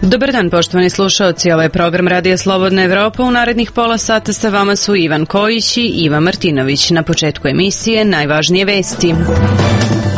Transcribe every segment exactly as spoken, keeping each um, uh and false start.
Dobar dan, poštovani slušaoci, ovaj program Radija Slobodna Evropa. U narednih pola sata sa vama su Ivan Kojić i Iva Martinović. Na početku emisije najvažnije vesti.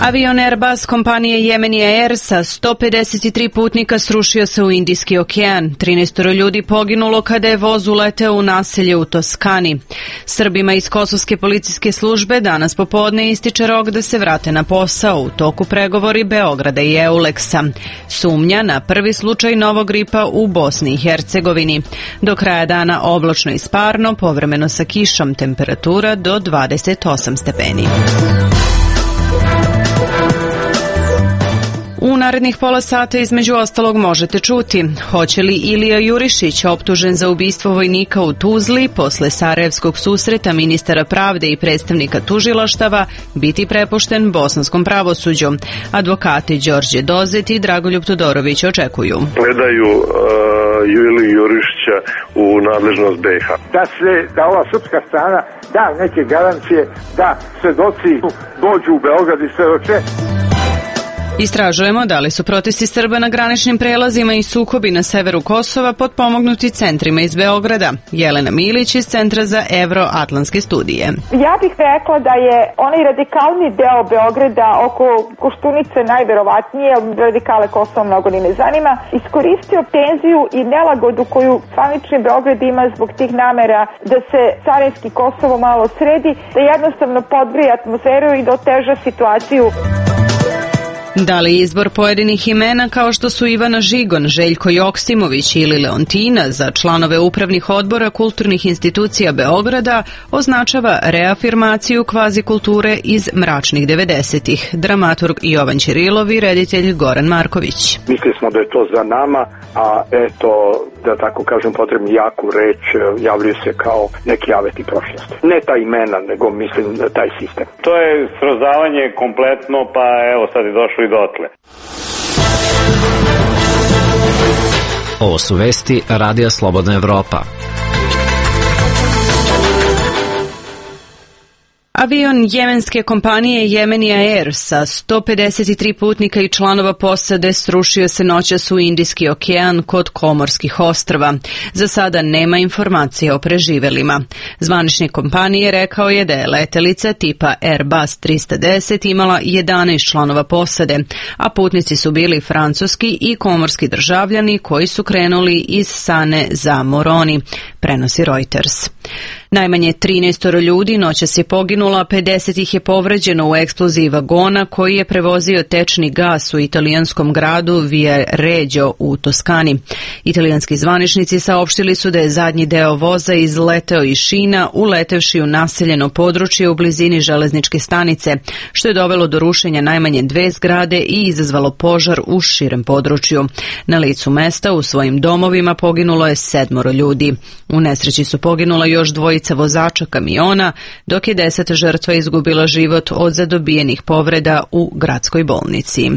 Avion Airbus kompanije Yemeni Air sa sto pedeset tri putnika srušio se u Indijski okean. trinaest ljudi poginulo kada je voz uleteo u naselje u Toskani. Srbima iz Kosovske policijske službe danas popodne ističe rok da se vrate na posao u toku pregovori Beograda i Euleksa. Sumnja na prvi slučaj novog gripa u Bosni i Hercegovini. Do kraja dana oblačno i sparno, povremeno sa kišom, temperatura do dvadeset osam stepeni. U narednih pola sata između ostalog možete čuti hoće li Ilija Jurišić, optužen za ubistvo vojnika u Tuzli, posle sarajevskog susreta ministara pravde i predstavnika tužilaštava, biti prepušten bosanskom pravosuđu. Advokati Đorđe Dozet i Dragoljub Todorović očekuju. Gledaju uh, Iliju Jurišića u nadležnost B iH. Da se, da ova srpska strana da neke garancije, da svedoci dođu u Beograd i svedoče. Istražujemo da li su protesti Srba na graničnim prelazima i sukobi na severu Kosova potpomognuti centrima iz Beograda. Jelena Milić iz Centra za evroatlantske studije. Ja bih rekla da je onaj radikalni deo Beograda oko Koštunice najverovatnije, radikale Kosova mnogo ni ne zanima, iskoristio tenziju i nelagodu koju zvanični Beograd ima zbog tih namera da se carinski Kosovo malo sredi, da jednostavno podgrije atmosferu i da oteža situaciju. Da li izbor pojedinih imena kao što su Ivana Žigon, Željko Joksimović ili Leontina za članove upravnih odbora kulturnih institucija Beograda označava reafirmaciju kvazi kulture iz mračnih devedesetih. Dramaturg Jovan Ćirilov i reditelj Goran Marković. Mislili smo da je to za nama, a eto, da tako kažem, potrebno jaku reč javljaju se kao neki aveti prošlosti. Ne ta imena, nego mislim taj sistem. To je srozavanje kompletno, pa evo sad je došlo i dotle. Ovo su vesti Radija Slobodna Evropa. Avion jemenske kompanije Yemeni Air sa sto pedeset tri putnika i članova posade srušio se noćas u Indijski okean kod Komorskih ostrva. Za sada nema informacija o preživelima. Zvaničnik kompanije rekao je da je letelica tipa Airbus trista deset imala jedanaest članova posade, a putnici su bili francuski i komorski državljani koji su krenuli iz Sane za Moroni, prenosi Reuters. Najmanje trinaest ljudi noćas je poginulo, a pedeset ih je povređeno u eksploziji vagona koji je prevozio tečni gas u italijanskom gradu Viareggio u Toskani. Italijanski zvaničnici saopštili su da je zadnji deo voza izleteo iz šina, uletevši u naseljeno područje u blizini železničke stanice, što je dovelo do rušenja najmanje dve zgrade i izazvalo požar u širem području. Na licu mesta u svojim domovima poginulo je sedmoro ljudi. U nesreći su poginula još dvojica vozača kamiona, dok je deset žrtva izgubilo život od zadobijenih povreda u gradskoj bolnici.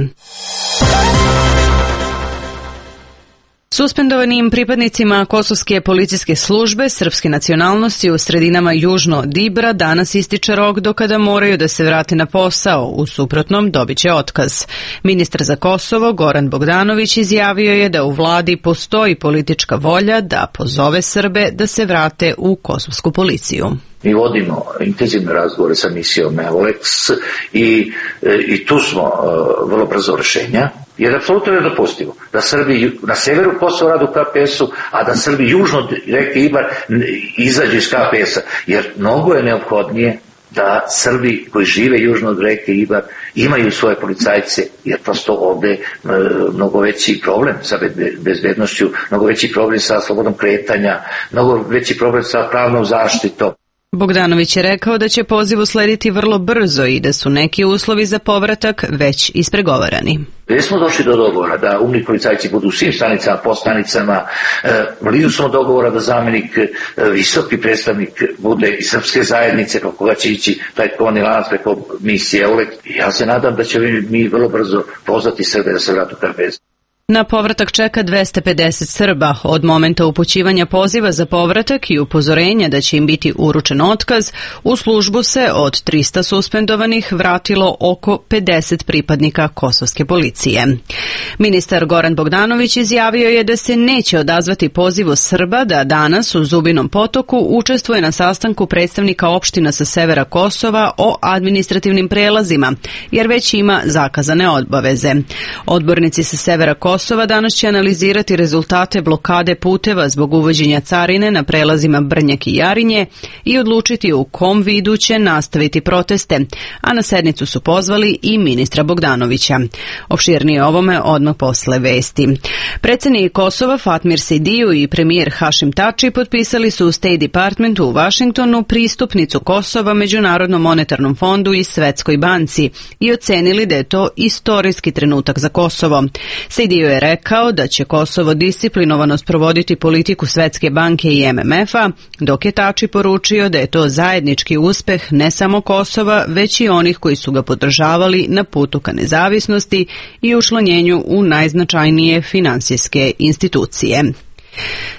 Suspendovanim pripadnicima Kosovske policijske službe srpske nacionalnosti u sredinama južno od Ibra danas ističe rok do kada moraju da se vrate na posao, u suprotnom dobit će otkaz. Ministar za Kosovo Goran Bogdanović izjavio je da u vladi postoji politička volja da pozove Srbe da se vrate u kosovsku policiju. Mi vodimo intenzivne razgovore sa misijom Euleks i, i tu smo uh, vrlo brzo rešenja, jer apsolutno je nedopustivo da Srbi na severu Kosova rade u K P S-u, a da Srbi južno od reke Ibar izađu iz K P S-a, jer mnogo je neophodnije da Srbi koji žive južno od reke Ibar imaju svoje policajce, jer prosto ovde e, mnogo veći problem sa bezbednošću, mnogo veći problem sa slobodom kretanja, mnogo veći problem sa pravnom zaštitom. Bogdanović je rekao da će poziv uslediti vrlo brzo i da su neki uslovi za povratak već ispregovarani. Gdje smo došli do dogovora da umni policajci budu u svim stanicama, postanicama, blizu smo dogovora da zamjenik, visoki predstavnik bude iz srpske zajednice, preko koga će ići taj kovani lanac preko misije Euleks. Ja se nadam da će mi vrlo brzo pozvati Srbe da se vratu u K P S. Na povratak čeka dvesta pedeset Srba. Od momenta upućivanja poziva za povratak i upozorenja da će im biti uručen otkaz, u službu se od trista suspendovanih vratilo oko pedeset pripadnika kosovske policije. Ministar Goran Bogdanović izjavio je da se neće odazvati pozivu Srba da danas u Zubinom Potoku učestvuje na sastanku predstavnika opština sa severa Kosova o administrativnim prelazima, jer već ima zakazane obaveze. Odbornici sa severa Kosova danas će analizirati rezultate blokade puteva zbog uvođenja carine na prelazima Brnjak i Jarinje i odlučiti u kom vidu će nastaviti proteste, a na sednicu su pozvali i ministra Bogdanovića. Opširnije ovome odmah posle vesti. Predsednik Kosova Fatmir Sidiju i premijer Hašim Tači potpisali su u State Departmentu u Vašingtonu pristupnicu Kosova Međunarodnom monetarnom fondu i Svetskoj banci i ocenili da je to istorijski trenutak za Kosovo. Sidiju je rekao da će Kosovo disciplinovano sprovoditi politiku Svetske banke i M M F-a, dok je Tači poručio da je to zajednički uspeh ne samo Kosova, već i onih koji su ga podržavali na putu ka nezavisnosti i učlanjenju u najznačajnije finansijske institucije.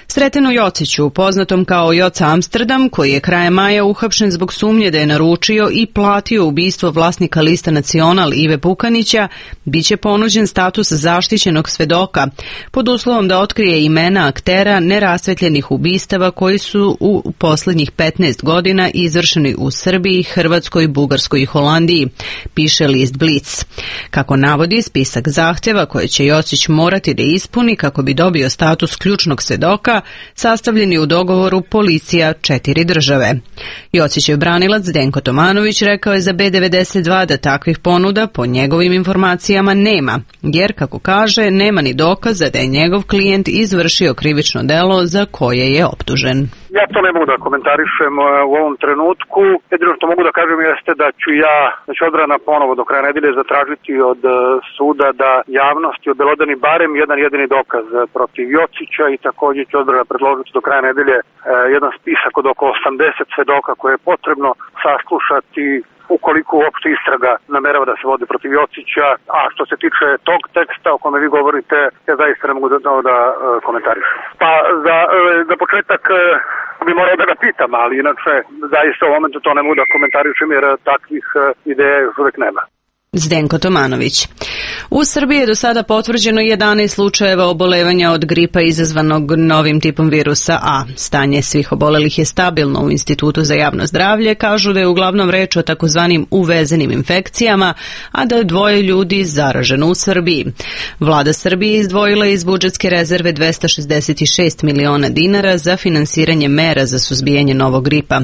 Sretenu Jociću, poznatom kao Joca Amsterdam, koji je krajem maja uhapšen zbog sumnje da je naručio i platio ubistvo vlasnika Lista Nacional Ive Pukanića, biće ponuđen status zaštićenog svedoka, pod uslovom da otkrije imena aktera nerasvetljenih ubistava koji su u poslednjih petnaest godina izvršeni u Srbiji, Hrvatskoj, Bugarskoj i Holandiji, piše list Blic. Kako navodi, spisak zahteva koje će Jocić morati da ispuni kako bi dobio status ključnog svedoka sastavljeni u dogovoru policija četiri države. Jocićev branilac Zdenko Tomanović rekao je za B devedeset dva da takvih ponuda po njegovim informacijama nema, jer, kako kaže, nema ni dokaza da je njegov klijent izvršio krivično delo za koje je optužen. Ja to ne mogu da komentarišem u ovom trenutku. Jedino što mogu da kažem jeste da ću ja, da ću odbrana ponovo do kraja nedelje zatražiti od suda da javnosti obelodani barem jedan jedini dokaz protiv Jocića i također ću odbrana predložiti do kraja nedelje jedan spisak od oko osamdeset svedoka koje je potrebno saslušati ukoliko uopšte istraga namerava da se vodi protiv Jocića, a što se tiče tog teksta o kome vi govorite, ja zaista ne mogu da, da komentarišem. Pa za, za početak bi morao da ga pitam, ali inače zaista u momentu to ne mogu da komentarišem jer takvih ideja još uvek nema. Zdenko Tomanović. U Srbiji je do sada potvrđeno jedanaest slučajeva obolevanja od gripa izazvanog novim tipom virusa A. Stanje svih obolelih je stabilno u Institutu za javno zdravlje, kažu da je uglavnom reč o takozvanim uvezenim infekcijama, a da je dvoje ljudi zaraženo u Srbiji. Vlada Srbije izdvojila iz budžetske rezerve dvesta šezdeset šest miliona dinara za finansiranje mera za suzbijanje novog gripa.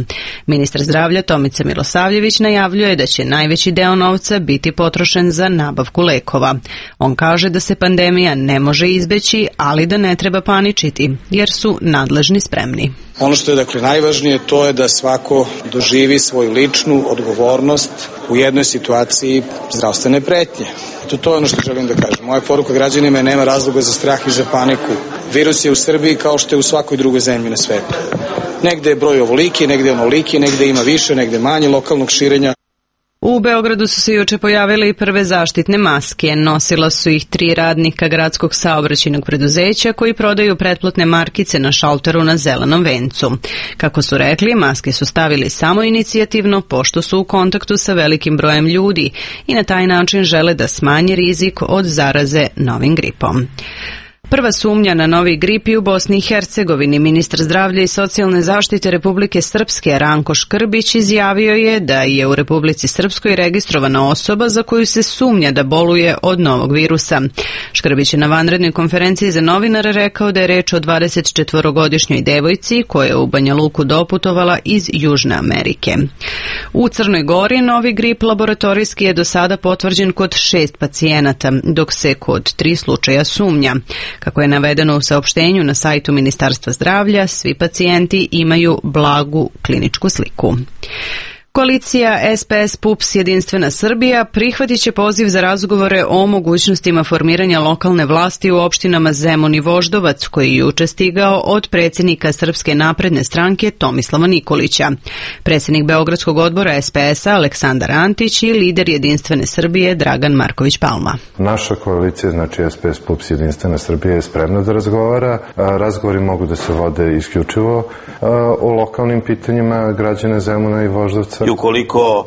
Ministar zdravlja Tomica Milosavljević najavljuje da će najveći deo novca biti potrošen za nabavku lekova. On kaže da se pandemija ne može izbeći, ali da ne treba paničiti, jer su nadležni spremni. Ono što je dakle najvažnije to je da svako doživi svoju ličnu odgovornost u jednoj situaciji zdravstvene pretnje. To, to je ono što želim da kažem. Moja poruka građanima je nema razloga za strah i za paniku. Virus je u Srbiji kao što je u svakoj drugoj zemlji na svetu. Negde je broj ovoliki, negde je onoliki, negde ima više, negde manje lokalnog širenja. U Beogradu su se juče pojavile i prve zaštitne maske. Nosila su ih tri radnika gradskog saobraćajnog preduzeća koji prodaju pretplatne markice na šalteru na Zelenom vencu. Kako su rekli, maske su stavili samo inicijativno pošto su u kontaktu sa velikim brojem ljudi i na taj način žele da smanje rizik od zaraze novim gripom. Prva sumnja na novi grip u Bosni i Hercegovini. Ministar zdravlja i socijalne zaštite Republike Srpske Ranko Škrbić izjavio je da je u Republici Srpskoj registrovana osoba za koju se sumnja da boluje od novog virusa. Škrbić je na vanrednoj konferenciji za novinare rekao da je reč o dvadesetčetvorogodišnjoj devojci koja je u Banja Luku doputovala iz Južne Amerike. U Crnoj Gori novi grip laboratorijski je do sada potvrđen kod šest pacijenata, dok se kod tri slučaja sumnja. Kako je navedeno u saopštenju na sajtu Ministarstva zdravlja, svi pacijenti imaju blagu kliničku sliku. Koalicija S P S P U P S Jedinstvena Srbija prihvatit će poziv za razgovore o mogućnostima formiranja lokalne vlasti u opštinama Zemun i Voždovac, koji je juče stigao od predsjednika Srpske napredne stranke Tomislava Nikolića. Predsjednik Beogradskog odbora S P S-a Aleksandar Antić i lider Jedinstvene Srbije Dragan Marković Palma. Naša koalicija, znači S P S P U P S Jedinstvena Srbija, je spremna da razgovara. Razgovori mogu da se vode isključivo o lokalnim pitanjima građana Zemuna i Voždovca. I ukoliko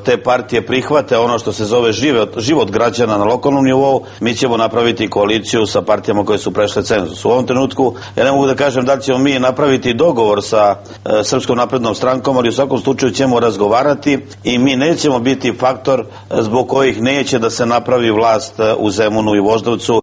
te partije prihvate ono što se zove život, život građana na lokalnom nivou, mi ćemo napraviti koaliciju sa partijama koje su prešle cenzus. U ovom trenutku ja ne mogu da kažem da li ćemo mi napraviti dogovor sa e, Srpskom naprednom strankom, ali u svakom slučaju ćemo razgovarati i mi nećemo biti faktor zbog kojih neće da se napravi vlast u Zemunu i Voždovcu.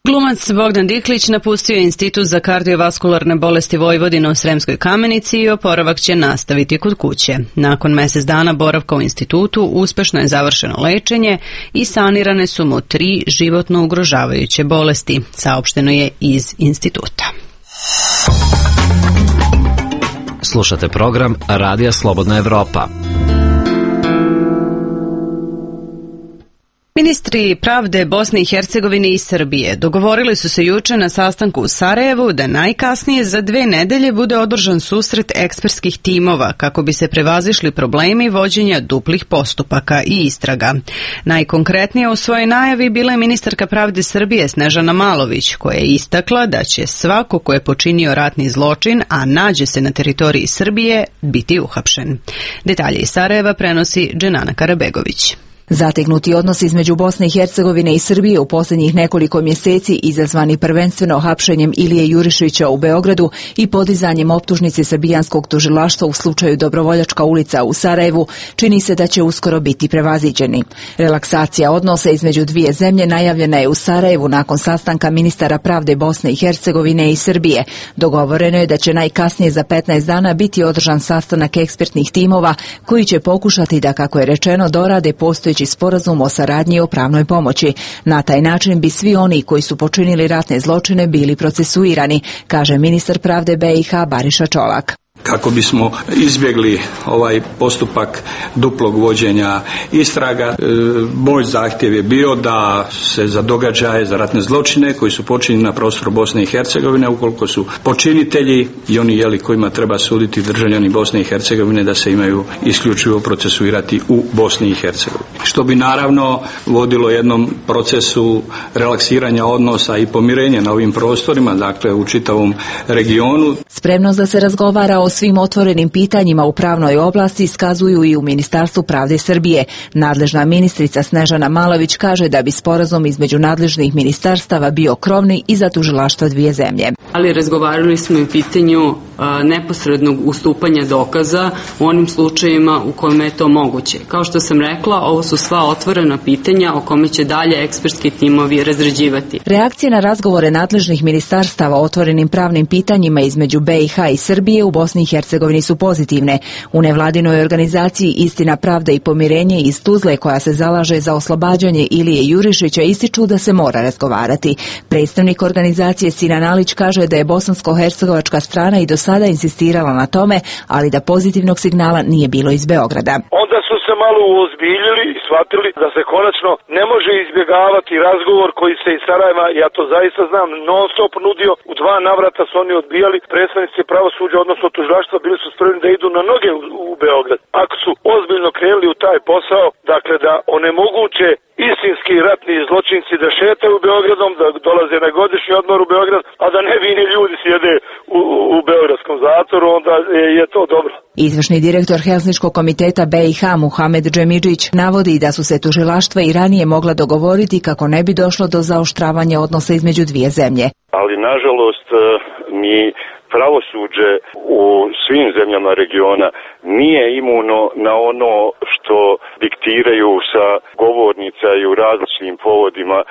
Glumac Bogdan Diklić napustio je Institut za kardiovaskularne bolesti Vojvodine u Sremskoj Kamenici i oporavak će nastaviti kod kuće. Nakon mjesec dana boravka u institutu uspešno je završeno lečenje i sanirane su mu tri životno ugrožavajuće bolesti, saopšteno je iz instituta. Slušate program Radija Slobodna Evropa. Ministri pravde Bosne i Hercegovine i Srbije dogovorili su se juče na sastanku u Sarajevu da najkasnije za dve nedelje bude održan susret ekspertskih timova kako bi se prevazišli problemi vođenja duplih postupaka i istraga. Najkonkretnije u svojoj najavi bila je ministarka pravde Srbije Snežana Malović, koja je istakla da će svako ko je počinio ratni zločin, a nađe se na teritoriji Srbije, biti uhapšen. Detalje iz Sarajeva prenosi Dženana Karabegović. Zategnuti odnos između Bosne i Hercegovine i Srbije u posljednjih nekoliko mjeseci, izazvani prvenstveno hapšenjem Ilije Jurišića u Beogradu i podizanjem optužnice srbijanskog tužilaštva u slučaju Dobrovoljačka ulica u Sarajevu, čini se da će uskoro biti prevaziđeni. Relaksacija odnosa između dvije zemlje najavljena je u Sarajevu nakon sastanka ministara pravde Bosne i Hercegovine i Srbije. Dogovoreno je da će najkasnije za petnaest dana biti održan sastanak ekspertnih timova koji će pokušati da, kako je rečeno, dorade postojeći sporazum o saradnji i o pravnoj pomoći. Na taj način bi svi oni koji su počinili ratne zločine bili procesuirani, kaže ministar pravde B i H Bariša Čolak. Kako bismo izbjegli ovaj postupak duplog vođenja istraga, e, moj zahtjev je bio da se za događaje, za ratne zločine koji su počinjeni na prostoru Bosne i Hercegovine, ukoliko su počinitelji i oni jeli kojima treba suditi državljani Bosne i Hercegovine, da se imaju isključivo procesuirati u Bosni i Hercegovini. Što bi naravno vodilo jednom procesu relaksiranja odnosa i pomirenja na ovim prostorima, dakle u čitavom regionu. Spremnost da se razgovara o svim otvorenim pitanjima u pravnoj oblasti iskazuju i u Ministarstvu pravde Srbije. Nadležna ministrica Snežana Malović kaže da bi sporazum između nadležnih ministarstava bio krovni i za tužilaštva dvije zemlje. Ali razgovarali smo i pitanju a, neposrednog ustupanja dokaza u onim slučajevima u kojima je to moguće. Kao što sam rekla, ovo su sva otvorena pitanja o kome će dalje ekspertski timovi razrađivati. Reakcije na razgovore nadležnih ministarstava o otvorenim pravnim pitanjima između B i H i Srbije u Bosni i Hercegovini su pozitivne. U nevladinoj organizaciji Istina, pravda i pomirenje iz Tuzle, koja se zalaže za oslobađanje Ilije Jurišića, ističu da se mora razgovarati. Predstavnik organizacije Sinan Alić kaže da je bosansko-hercegovačka strana i do sada insistirala na tome, ali da pozitivnog signala nije bilo iz Beograda. Onda su se malo uozbiljili i shvatili da se konačno ne može izbjegavati razgovor koji se iz Sarajeva, ja to zaista znam, non stop nudio. U dva navrata su oni odbijali. Predstavnici pravosuđa, odnosno tužilaštva, bili su spremni da idu na noge u, u Beograd. Ako su ozbiljno krenuli u taj posao, dakle da onemoguće istinski ratni zločinci da šetaju u Beogradom, da dolaze na godišnji odmor u Beograd, a da nevini ljudi sjede u, u beogradskom zatvoru, onda je to dobro. Izvršni direktor Helsinškog komiteta B i H Muhamed Džemidžić navodi da su se tužilaštva i ranije mogla dogovoriti kako ne bi došlo do zaoštravanja odnosa između dvije zemlje. Ali nažalost mi pravosuđe u svim zemljama regiona nije imuno na ono što diktiraju sa govornica i u različitim povodima e,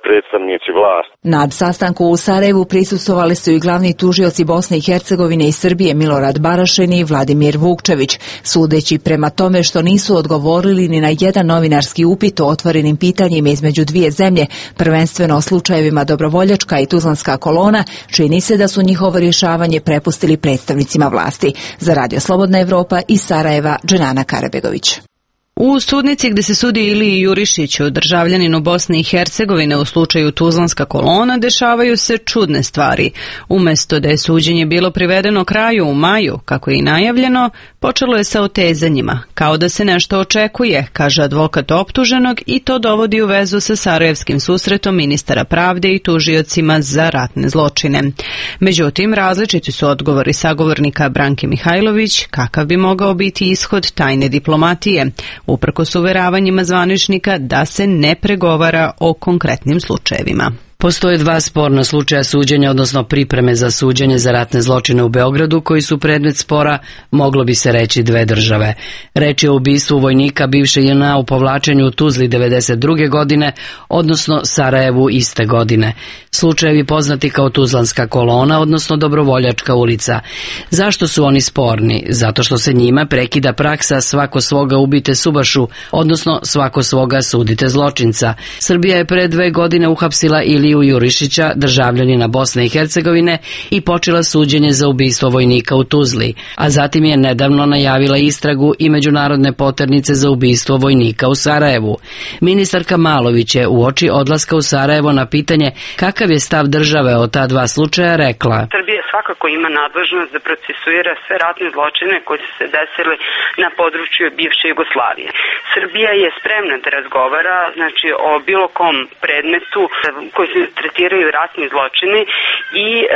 predstavnici vlasti. Na sastanku u Sarajevu prisustvovali su i glavni tužioci Bosne i Hercegovine i Srbije Milorad Barašin i Vladimir Vukčević, sudeći prema tome što nisu odgovorili ni na jedan novinarski upit o otvorenim pitanjima između dvije zemlje, prvenstveno o slučajevima Dobrovoljačka i Tuzlanska kolona, čini se da su njihovo rješavanje prepustili predstavnicima vlasti. Za Radio Slobodna Evropa iz Sarajeva, Dženana Karabegović. U sudnici gde se sudi Iliji Jurišiću, državljaninu Bosne i Hercegovine u slučaju Tuzlanska kolona, dešavaju se čudne stvari. Umesto da je suđenje bilo privedeno kraju u maju, kako je i najavljeno, počelo je sa otezanjima, kao da se nešto očekuje, kaže advokat optuženog, i to dovodi u vezu sa sarajevskim susretom ministara pravde i tužiocima za ratne zločine. Međutim, različiti su odgovori sagovornika Branke Mihajlović kakav bi mogao biti ishod tajne diplomatije, uprkos uveravanjima zvaničnika da se ne pregovara o konkretnim slučajevima. Postoje dva sporna slučaja suđenja, odnosno pripreme za suđenje za ratne zločine u Beogradu, koji su predmet spora, moglo bi se reći, dve države. Reč je o ubistvu vojnika bivše J N A u povlačenju u Tuzli devedeset druge godine, odnosno Sarajevu iste godine. Slučajevi poznati kao Tuzlanska kolona, odnosno Dobrovoljačka ulica. Zašto su oni sporni? Zato što se njima prekida praksa svako svoga ubite subašu, odnosno svako svoga sudite zločinca. Srbija je pre dve godine uhapsila Iliju Jurišića, državljanina Bosne i Hercegovine, i počela suđenje za ubistvo vojnika u Tuzli, a zatim je nedavno najavila istragu i međunarodne poternice za ubistvo vojnika u Sarajevu. Ministarka Malović je uoči odlaska u Sarajevo na pitanje kakav je stav države o ta dva slučaja rekla: Srbija svakako ima nadležnost da procesuira sve ratne zločine koji su se desili na području bivše Jugoslavije. Srbija je spremna da razgovara, znači, o bilo kom predmetu koji se tretiraju ratni zločini i e, e,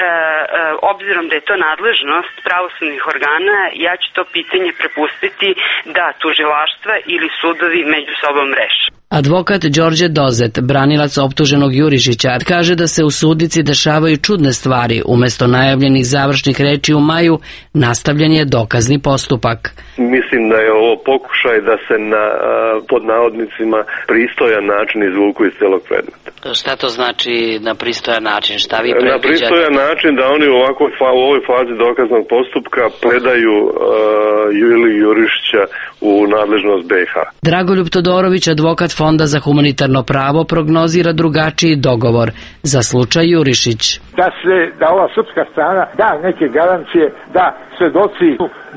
obzirom da je to nadležnost pravosudnih organa, ja ću to pitanje prepustiti da tužilaštva ili sudovi među sobom reše. Advokat Đorđe Dozet, branilac optuženog Jurišića, kaže da se u sudnici dešavaju čudne stvari. Umesto najavljenih završnih reči u maju, nastavljen je dokazni postupak. Mislim da je ovo pokušaj da se na, pod navodnicima, pristojan način izvuku iz celog predmeta. Šta to znači na pristojan način? Šta vi predviđate? Na pristojan način da oni u, ovako, u ovoj fazi dokaznog postupka predaju uh, Iliju Jurišića u nadležnost B iH. Dragoljub Todorović, advokat Fonda za humanitarno pravo, prognozira drugačiji dogovor za slučaj Jurišić. Da se, da ova srpska strana da neke garancije da svedoci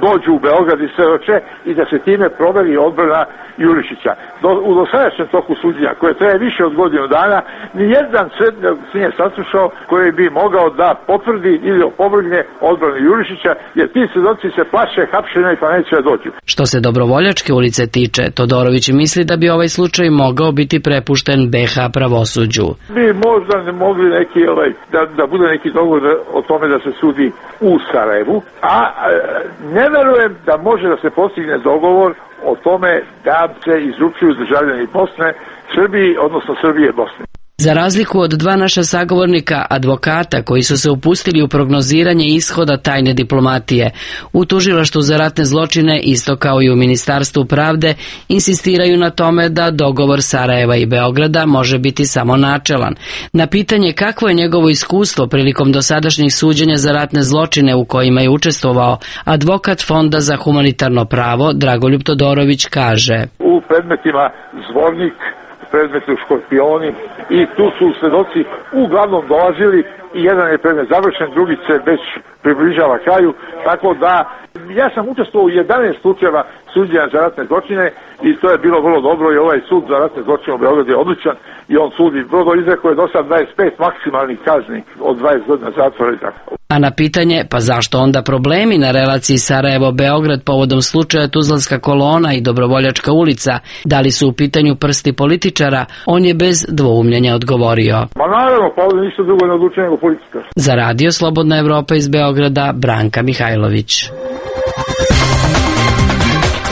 dođu u Beograd i svedoče i da se time proveri odbrana Jurišića. Do, u dosadašnjem toku suđenja, koje traje više od godinu dana, nijedan svedok se nije saslušao koji bi mogao da potvrdi ili opovrgne odbranu Jurišića, jer ti svedoci se plaše hapšenja i pa neće da dođu. Što se Dobrovoljačke ulice tiče, Todorović misli da bi ovaj slučaj mogao biti prepušten B iH pravosuđu. Mi možda ne mogli neki, ovaj, da, da bude neki dogovor o tome da se sudi u Sarajevu, a ne verujem da može da se postigne dogovor o tome da se izručuju državljani Bosne Srbiji, odnosno Srbije i Bosne. Za razliku od dva naša sagovornika, advokata koji su se upustili u prognoziranje ishoda tajne diplomatije, u tužilaštvu za ratne zločine, isto kao i u Ministarstvu pravde, insistiraju na tome da dogovor Sarajeva i Beograda može biti samo načelan. Na pitanje kakvo je njegovo iskustvo prilikom dosadašnjih suđenja za ratne zločine u kojima je učestvovao, advokat Fonda za humanitarno pravo Dragoljub Todorović kaže: U predmetima Zvornik, predmetu Škorpioni, i tu su svedoci uglavnom dolazili i jedan je predmet završen, drugi se već približava kraju, tako da ja sam učestvovao u jedanaest slučajeva suđenja za ratne zločine i to je bilo vrlo dobro i ovaj sud za ratne zločine u Beogradu je odličan i on sudi vrlo izrekao je do sad dvadeset pet maksimalnih kazni od dvadeset godina zatvora i tako. A na pitanje, pa zašto onda problemi na relaciji Sarajevo-Beograd povodom slučaja Tuzlanska kolona i Dobrovoljačka ulica, da li su u pitanju prsti političara, on je bez dvoumljenja odgovorio: Ma naravno, pa ovdje ništa drugo ne odlučuje nego političar. Za Radio Slobodna Evropa iz Beograda, Branka Mihajlović.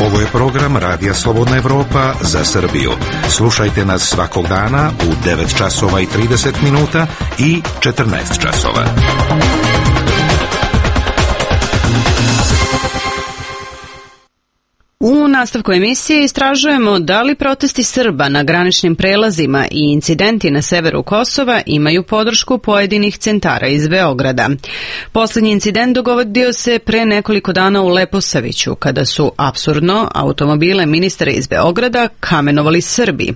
Ovo je program Radija Slobodna Evropa za Srbiju. Slušajte nas svakog dana u devet časova i trideset minuta i četrnaest časova. U nastavku emisije istražujemo da li protesti Srba na graničnim prelazima i incidenti na severu Kosova imaju podršku pojedinih centara iz Beograda. Poslednji incident dogodio se pre nekoliko dana u Leposaviću, kada su apsurdno automobile ministara iz Beograda kamenovali Srbi.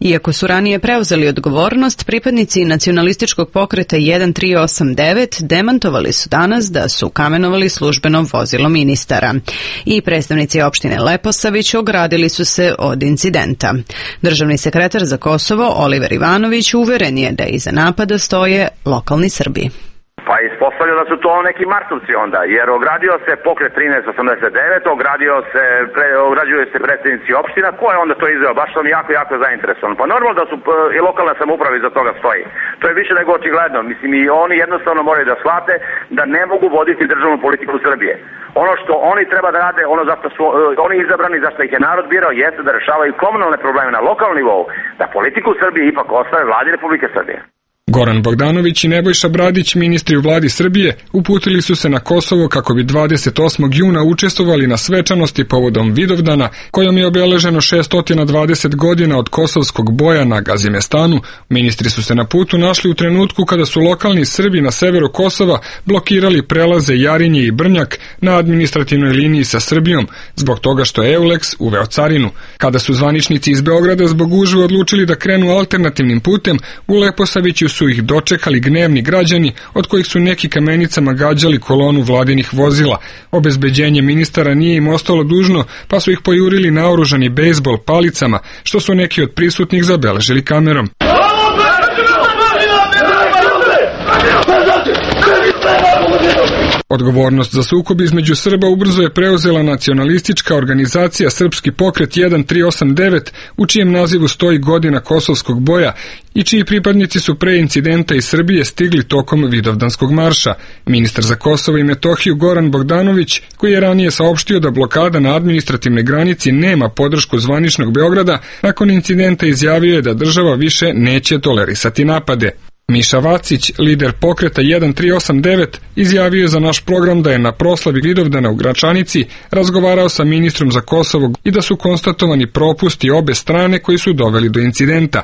Iako su ranije preuzeli odgovornost, pripadnici nacionalističkog pokreta jedan tri osam devet demantovali su danas da su kamenovali službeno vozilo ministara. I predstavnici opštine Leposavić ogradili su se od incidenta. Državni sekretar za Kosovo Oliver Ivanović uveren je da iza napada stoje lokalni Srbi. Pa ispostavlja da su to neki marsovci onda, jer ogradio se pokret trinaest osamdeset devet, ogradio se, pre, ograđuju se predstavnici opština, ko je onda to izveo? Baš sam jako, jako zainteresovan. Pa normalno da su i lokalna samouprava iza toga stoji. To je više nego očigledno. Mislim, i oni jednostavno moraju da shvate da ne mogu voditi državnu politiku Srbije. Ono što oni treba da rade, ono zašto su oni izabrani, zašto ih je narod birao, jeste da rešavaju komunalne probleme na lokalnom nivou, da politiku Srbije ipak ostave vladi Republike Srbije. Goran Bogdanović i Nebojša Bradić, ministri u vladi Srbije, uputili su se na Kosovo kako bi dvadeset osmog juna učestvovali na svečanosti povodom Vidovdana, kojom je obeleženo šessto dvadeset godina od kosovskog boja na Gazimestanu. Ministri su se na putu našli u trenutku kada su lokalni Srbi na severu Kosova blokirali prelaze Jarinje i Brnjak na administrativnoj liniji sa Srbijom, zbog toga što je Euleks uveo carinu. Kada su zvaničnici iz Beograda zbog gužve odlučili da krenu alternativnim putem, u Leposaviću su ih dočekali gnevni građani, od kojih su neki kamenicama gađali kolonu vladinih vozila. Obezbeđenje ministara nije im ostalo dužno, pa su ih pojurili naoružani bejsbol palicama, što su neki od prisutnih zabeležili kamerom. Odgovornost za sukob između Srba ubrzo je preuzela nacionalistička organizacija Srpski pokret jedan tri osam devet, u čijem nazivu stoji godina kosovskog boja i čiji pripadnici su pre incidenta iz Srbije stigli tokom Vidovdanskog marša. Ministar za Kosovo i Metohiju Goran Bogdanović, koji je ranije saopštio da blokada na administrativnoj granici nema podršku zvaničnog Beograda, nakon incidenta izjavio je da država više neće tolerisati napade. Miša Vacić, lider pokreta jedan tri osam devet, izjavio je za naš program da je na proslavi Vidovdana u Gračanici razgovarao sa ministrom za Kosovo i da su konstatovani propusti obe strane koji su doveli do incidenta.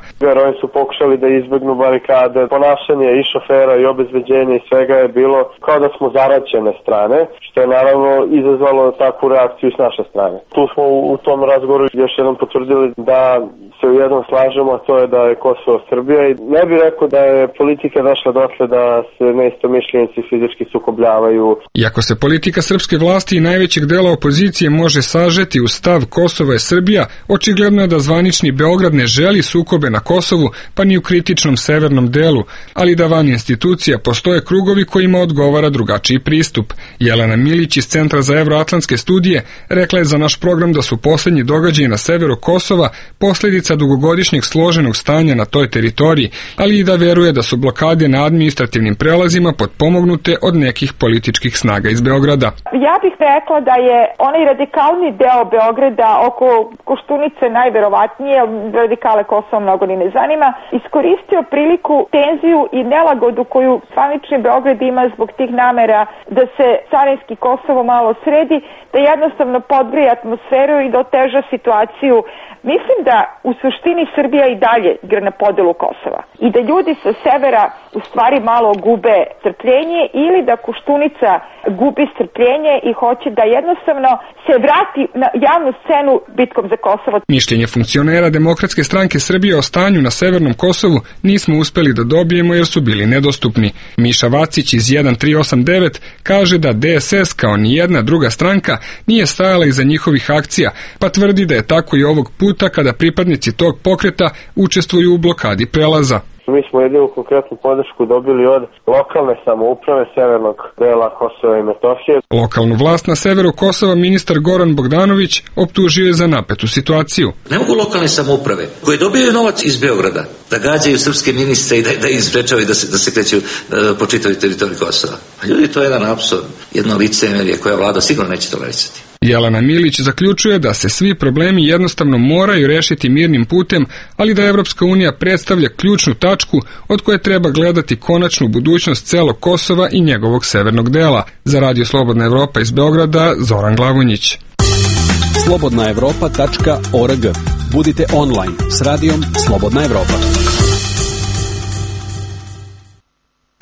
Oni su pokušali da izbegnu barikade, ponašanje i šofera i obezbeđenje i svega je bilo kao da smo zaraćene strane, što je naravno izazvalo takvu reakciju s naše strane. Tu smo u tom razgovoru još jednom potvrdili da se u jednom slažemo, a to je da je Kosovo Srbija i ne bih rekao da je politika došla dotle da se neistomišljenici fizički sukobljavaju. Iako se politika srpske vlasti i najvećeg dela opozicije može sažeti u stav Kosovo je Srbija, očigledno je da zvanični Beograd ne želi sukobe na Kosovu, pa ni u kritičnom severnom delu, ali da van institucija postoje krugovi kojima odgovara drugačiji pristup. Jelena Milić iz Centra za evroatlantske studije rekla je za naš program da su posljednji događaji na severu Kosova posljedica dugogodišnjeg složenog stanja na toj teritoriji, ali i da veruje da su blokade na administrativnim prelazima potpomognute od nekih političkih snaga iz Beograda. Ja bih rekla da je onaj radikalni deo Beograda oko Koštunice najverovatnije, radikale Kosova mnogo ni ne zanima, iskoristio priliku, tenziju i nelagodu koju zvanični Beograd ima zbog tih namera da se carinski Kosovo malo sredi, da jednostavno podgrije atmosferu i da oteža situaciju. Mislim da u suštini Srbija i dalje igra na podelu Kosova i da ljudi sa severa u stvari malo gube strpljenje ili da Koštunica gubi strpljenje i hoće da jednostavno se vrati na javnu scenu bitkom za Kosovo. Mišljenje funkcionera Demokratske stranke Srbije o stanju na severnom Kosovu nismo uspeli da dobijemo jer su bili nedostupni. Miša Vacić iz jedan tri osam devet kaže da D S S kao ni jedna druga stranka nije stajala iza njihovih akcija, pa tvrdi da je tako i ovog puta kada pripadnici tog pokreta učestvuju u blokadi prelaza. Mi smo jedinu konkretnu podršku dobili od lokalne samouprave severnog dela Kosova i Metohije. Lokalnu vlast na severu Kosova ministar Goran Bogdanović optužio je za napetu situaciju. Ne mogu lokalne samouprave koje dobijaju novac iz Beograda da gađaju srpske ministre i da, da im sprečavaju da se, da se kreću uh, po čitavoj teritoriji Kosova. A ljudi, to je jedan apsurd, jedno licemerje koja vlada sigurno neće tolerisati. Jelena Milić zaključuje da se svi problemi jednostavno moraju rešiti mirnim putem, ali da Evropska unija predstavlja ključnu tačku od koje treba gledati konačnu budućnost celog Kosova i njegovog severnog dela. Za Radio Slobodna Evropa iz Beograda, Zoran Glavonjić. slobodna evropa tačka org. Budite online s radijom Slobodna Evropa.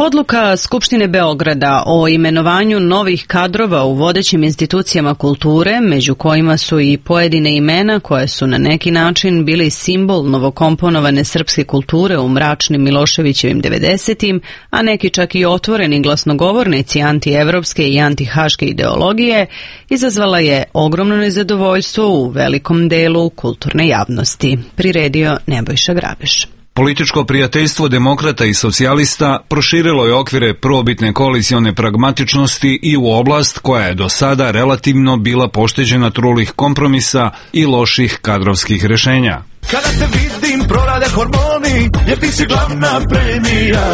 Odluka Skupštine Beograda o imenovanju novih kadrova u vodećim institucijama kulture, među kojima su i pojedine imena koje su na neki način bili simbol novokomponovane srpske kulture u mračnim Miloševićevim devedesetim, a neki čak i otvoreni glasnogovornici antievropske i antihaške ideologije, izazvala je ogromno nezadovoljstvo u velikom delu kulturne javnosti. Priredio Nebojša Grabeš. Političko prijateljstvo demokrata i socijalista proširilo je okvire prvobitne koalicione pragmatičnosti i u oblast koja je do sada relativno bila pošteđena trulih kompromisa i loših kadrovskih rešenja. Kada te vidim prorade hormoni, jer ti si glavna premija.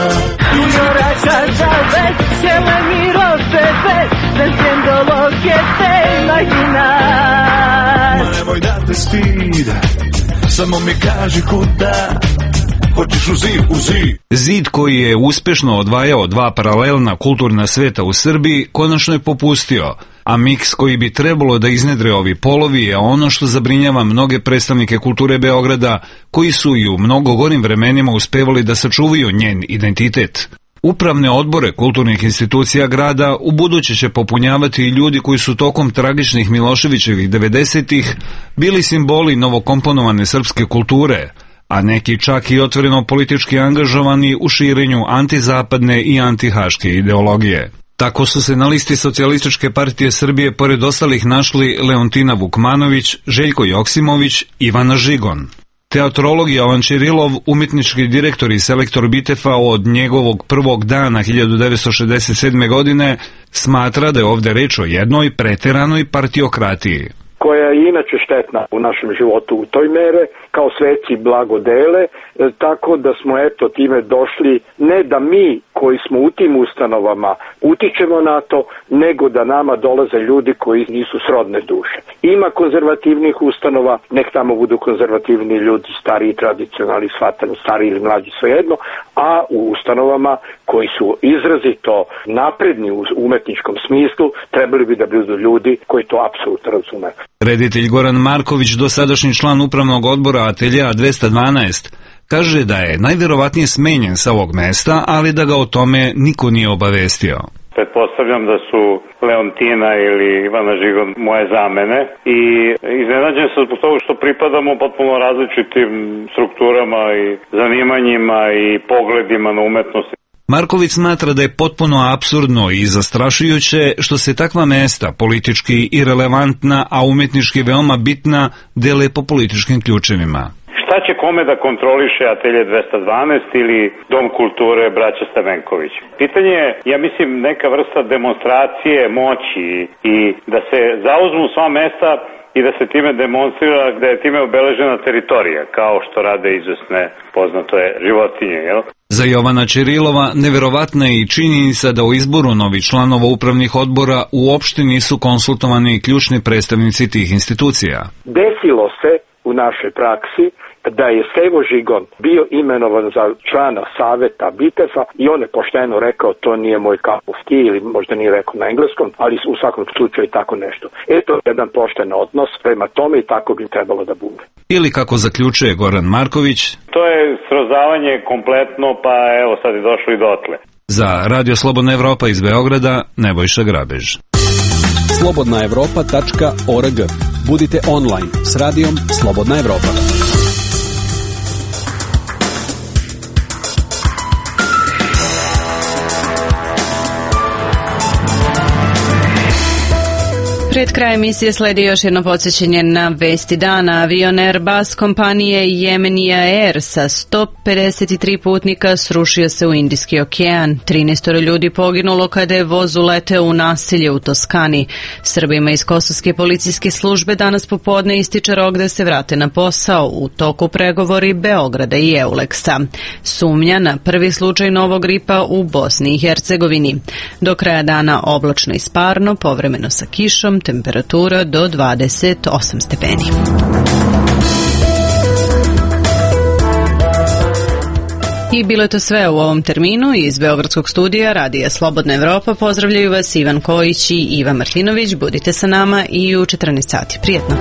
Ma nemoj da te stid, samo mi kaži kuda. Hoćeš u zid, u zid. Zid koji je uspešno odvajao dva paralelna kulturna sveta u Srbiji konačno je popustio, a miks koji bi trebalo da iznedre ovi polovi je ono što zabrinjava mnoge predstavnike kulture Beograda, koji su i u mnogo gorim vremenima uspevali da sačuvaju njen identitet. Upravne odbore kulturnih institucija grada u buduće će popunjavati i ljudi koji su tokom tragičnih Miloševićevih devedesetih bili simboli novokomponovane srpske kulture, a neki čak i otvoreno politički angažovani u širenju antizapadne i antihaške ideologije. Tako su se na listi Socijalističke partije Srbije pored ostalih našli Leontina Vukmanović, Željko Joksimović, Ivana Žigon. Teatrolog Jovan Čirilov, umetnički direktor i selektor Bitefa od njegovog prvog dana hiljadu devetsto šezdeset sedme. godine, smatra da je ovde reč o jednoj preteranoj partiokratiji, koja je inače štetna u našem životu u toj mere, kao sveci blagodele, tako da smo eto time došli, ne da mi koji smo u tim ustanovama utičemo na to, nego da nama dolaze ljudi koji nisu srodne duše. Ima konzervativnih ustanova, nek tamo budu konzervativni ljudi, stariji, tradicionalni, shvatano, stariji ili mlađi, svejedno, a u ustanovama koji su izrazito napredni u umetničkom smislu, trebali bi da budu ljudi koji to apsolutno razume. Reditelj Goran Marković, dosadašnji član upravnog odbora Ateljea dvesta dvanaest, kaže da je najverovatnije smenjen sa ovog mesta, ali da ga o tome niko nije obavestio. Pretpostavljam da su Leontina ili Ivana Žigon moje zamene i iznenađen sam zbog toga što pripadamo potpuno različitim strukturama i zanimanjima i pogledima na umetnost. Marković smatra da je potpuno apsurdno i zastrašujuće što se takva mesta, politički irelevantna, a umetnički veoma bitna, dele po političkim ključevima. Šta će kome da kontroliše Atelje dvesta dvanaest ili Dom kulture braća Stavenković? Pitanje je, ja mislim, neka vrsta demonstracije moći i da se zauzmu sva mesta i da se time demonstrira, da je time obeležena teritorija, kao što rade izvesne poznato je životinje, jel? Za Jovana Čirilova neverovatna je i činjenica da u izboru novih članova upravnih odbora uopšte nisu konsultovani ključni predstavnici tih institucija. Desilo se u našoj praksi da je Stevo Žigon bio imenovan za člana saveta Bitefa i on je pošteno rekao to nije moj cup of tea, ili možda nije rekao na engleskom, ali u svakom slučaju tako nešto. Eto jedan pošten odnos prema tome i tako bi trebalo da bude. Ili kako zaključuje Goran Marković, to je srozavanje kompletno, pa evo sad je došlo i dotle. Za Radio Slobodna Evropa iz Beograda, Nebojša Grabež. slobodna evropa tačka org. Budite online s radijom Slobodna Evropa. Pred krajem emisije sledi još jedno podsjećanje na vesti dana. Avion Airbus kompanije Yemenia Air sa sto pedeset tri putnika srušio se u Indijski okean. trinaest ljudi poginulo kada je voz uleteo u naselje u Toskani. Srbima iz Kosovske policijske službe danas popodne ističe rok da se vrate na posao, u toku pregovori Beograda i Euleksa. Sumnja na prvi slučaj novog gripa u Bosni i Hercegovini. Do kraja dana oblačno i sparno, povremeno sa kišom, temperatura do dvadeset osam stepeni. I bilo je to sve u ovom terminu. Iz Beogradskog studija Radija Slobodna Evropa pozdravljaju vas Ivan Kojić i Iva Martinović. Budite sa nama i u četrnaest sati. Prijetno!